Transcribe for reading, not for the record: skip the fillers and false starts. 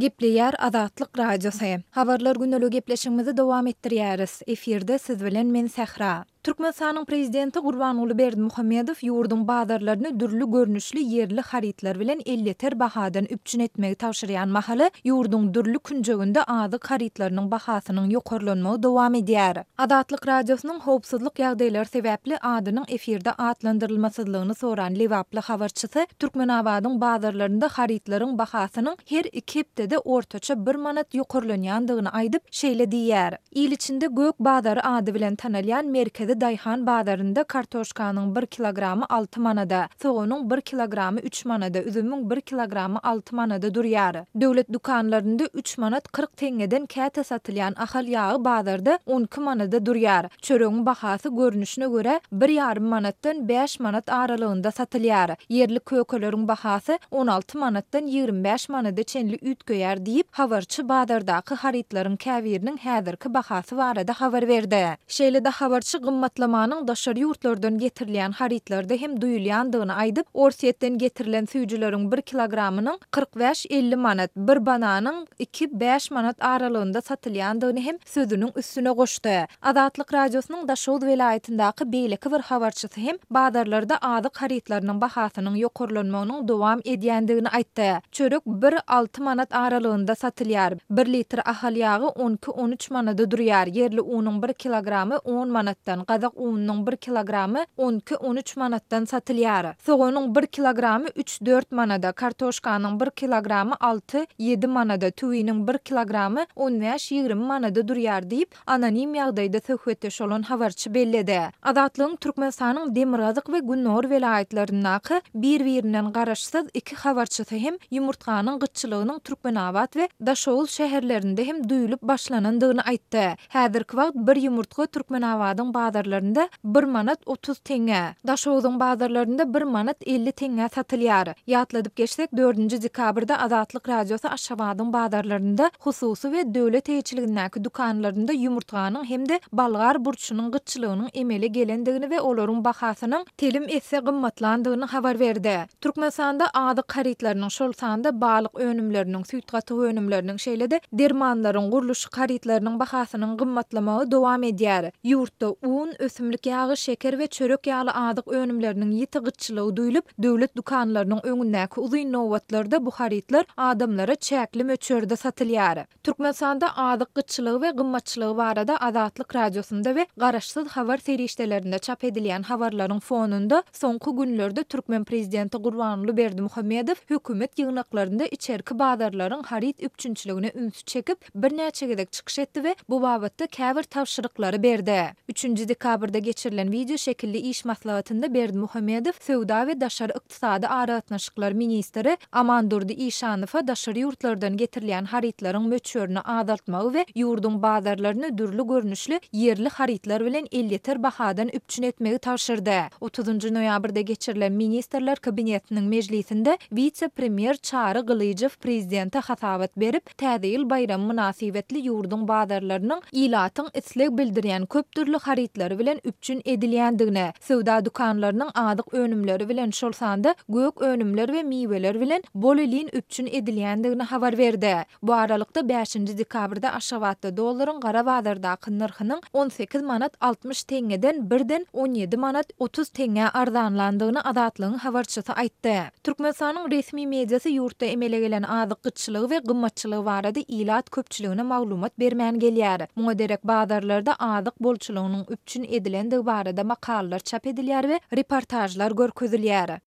Gepleýär Azatlyk Radiosy. Habarlar güneli gepleşigimizi dowam etdirýäris. Efirde siz bilen men Sähra. Türkmenistanyň Prezidenti Gurbanguly Berdimuhamedow ýurduň bazarlaryny dürli görnüşli ýerli harytlar bilen elýeter bahadan üpjün etmegi tabşyrýan mahaly, ýurduň dürli künjeginde azyk harytlarynyň bahasynyň ýokarlanmagy dowam edýär. Azatlyk Radiosynyň howpsuzlyk ýagdaýlary sebäpli adynyň efirde atlandyrylmasyzlygyny soran lebaply habarçysy Türkmenabadyň bazarlarynda harytlaryň bahasynyň her iki hepdede ortaça bir manat ýokarlanýandygyny aýdyp, şeýle diýýär, Il içinde Gök bazary ady bilen tanalýan merkezi daýhan bazarynda kartoşkanyň bir kilogramy alty manada, soganyň bir kilogramy üç manada, üzümiň bir kilogramy alty manada durýar. Döwlet dükanlarynda üç manat 40 teňňeden käte satylýan Ahal ýagy bazarda 12 manada durýar. Çöregiň bahasy görnüşine görä bir ýarym manatdan bäş manat aralygynda satylýar. Ýerli kökeleriň bahasy 16 manatdan 25 manada çenli üýtgeýär diýip, habarçy bazardaky harytlaryň käbiriniň häzirki bahasy barada habar berdi. Şeýle-de habarçy gymmatlamanyň daşary ýurtlardan getirilýän harytlarda hem duýulýandygyny aýdyp, Orsýetden getirilen süýjüleriň bir kilogramynyň 45-50 manat, bir bananyň iki, bäş manat aralygynda satylýandygyny hem sözüniň üstüne goşdy. Azatlyk Radiosynyň Daşoguz welaýatyndaky beýleki bir habarçysy hem bazarlarda azyk harytlarynyň bahasynyň ýokarlanmagynyň dowam edýändigini aýtdy. Çörek bir, alty manat aralygynda satylýar. Bir litr Ahal ýagy on iki, on üç manada durýar. Ýerli unuň bir kilogramy on manatdan, gazak ununyň bir kilogramy on iki, on üç manatdan satylýar. Soganyň bir kilogramy üç, dört manada, kartoşkanyň bir kilogramy alty, ýedi manada, tüwiniň bir kilogramy on bäş, 20 manada durýar diýip, anonim ýagdaýda söhbetdeş bolan habarçy belledi. Azatlygyň Türkmenistanyň demirgazyk we gündogar welaýatlaryndaky bir-birinden garaşsyz iki habarçysy hem ýumurtganyň gytçylygynyň Türkmenabat we Daşoguz şäherlerinde hem duýulyp başlanandygyny aýtdy. Häzirki wagt bir ýumurtga Türkmenabadyň bazarlarynda bir manat 30 teňňä, Daşoguzyň bazarlarynda bir manat 50 teňňä satylýar. Ýatladyp geçsek, dördünji dekabrda Azatlyk Radiosy Aşgabadyň bazarlarynda hususy we döwlet eýeçiligindäki dükanlarynda ýumurtganyň hem-de bolgar burçunyň gytçylygynyň emele gelendigini we olaryň bahasynyň telim esse gymmatlandygyny habar berdi. Türkmenistanda azyk harytlarynyň, şol sanda balyk önümleriniň, süýt-gatyk önümleriniň, şeýle-de dermanlaryň, gurluşyk harytlarynyň bahasynyň gymmatlamagy dowam edýär. Ýurtda un, ösümlik ýagy, şeker we çörek ýaly azyk önümleriniň ýiti gytçylygy duýlup, döwlet dükanlarynyň öňündäki uzyn nobatlarda bu harytlar adamlara çäkli möçberde satylýar. Türkmenistanda azyk gytçylygy we gymmatçylygy barada Azatlyk Radiosynda we garaşsyz habar serişdelerinde çap edilýän habarlaryň fonunda soňky günlerde türkmen prezidenti Gurbanguly Berdimuhamedow hökümet ýygnaklarynda içerki bazarlaryň haryt üpjünçiligine ünsi çekip, birnäçe gezek çykyş etdi we bu babatda käbir tabşyryklary berdi. Üçünji dekabrda geçirilen wideo şekilli iş maslahatynda Berdimuhamedow söwda we daşary ykdysady aragatnaşyklar ministri Amandurdy Işanowa daşary ýurtlardan getirilýän harytlaryň möçberini azaltmagy we ýurduň bazarlaryny dürli görnüşli ýerli harytlar bilen elýeter bahadan üpjün etmegi tabşyrdy. Otuzynjy noýabrda geçirilen Ministrler Kabinetiniň mejlisinde wise-premýer Çary Gylyjow prezidente hasabat berip, Täze ýyl baýramy mynasybetli ýurduň bazarlarynyň ilatyň isleg bildirýän köp dürli harytlary bilen üpjün edilýändigini, söwda dükanlarynyň azyk önümleri bilen, şol sanda gök önümler we miweler bilen bolelin üpjün edilýändigini habar berdi. Bu aralykda, bäşinji dekabrda Aşgabatda dollaryň gara bazardaky nyrhynyň 18 manat 60 teňňeden birden 17 manat 30 teňňä arzanlandygyny Azatlygyň habarçysy aýtdy. Türkmenistanyň resmi mediasy ýurtda emele gelen azyk gytçylygy we gymmatçylygy barada ilat köpçüligine maglumat bermän gelýär. Muňa derek bazarlarda azyk bolçulygynyň üpjün edilendigi barada makalalar çap edilýär we reportažlar görkezilýär.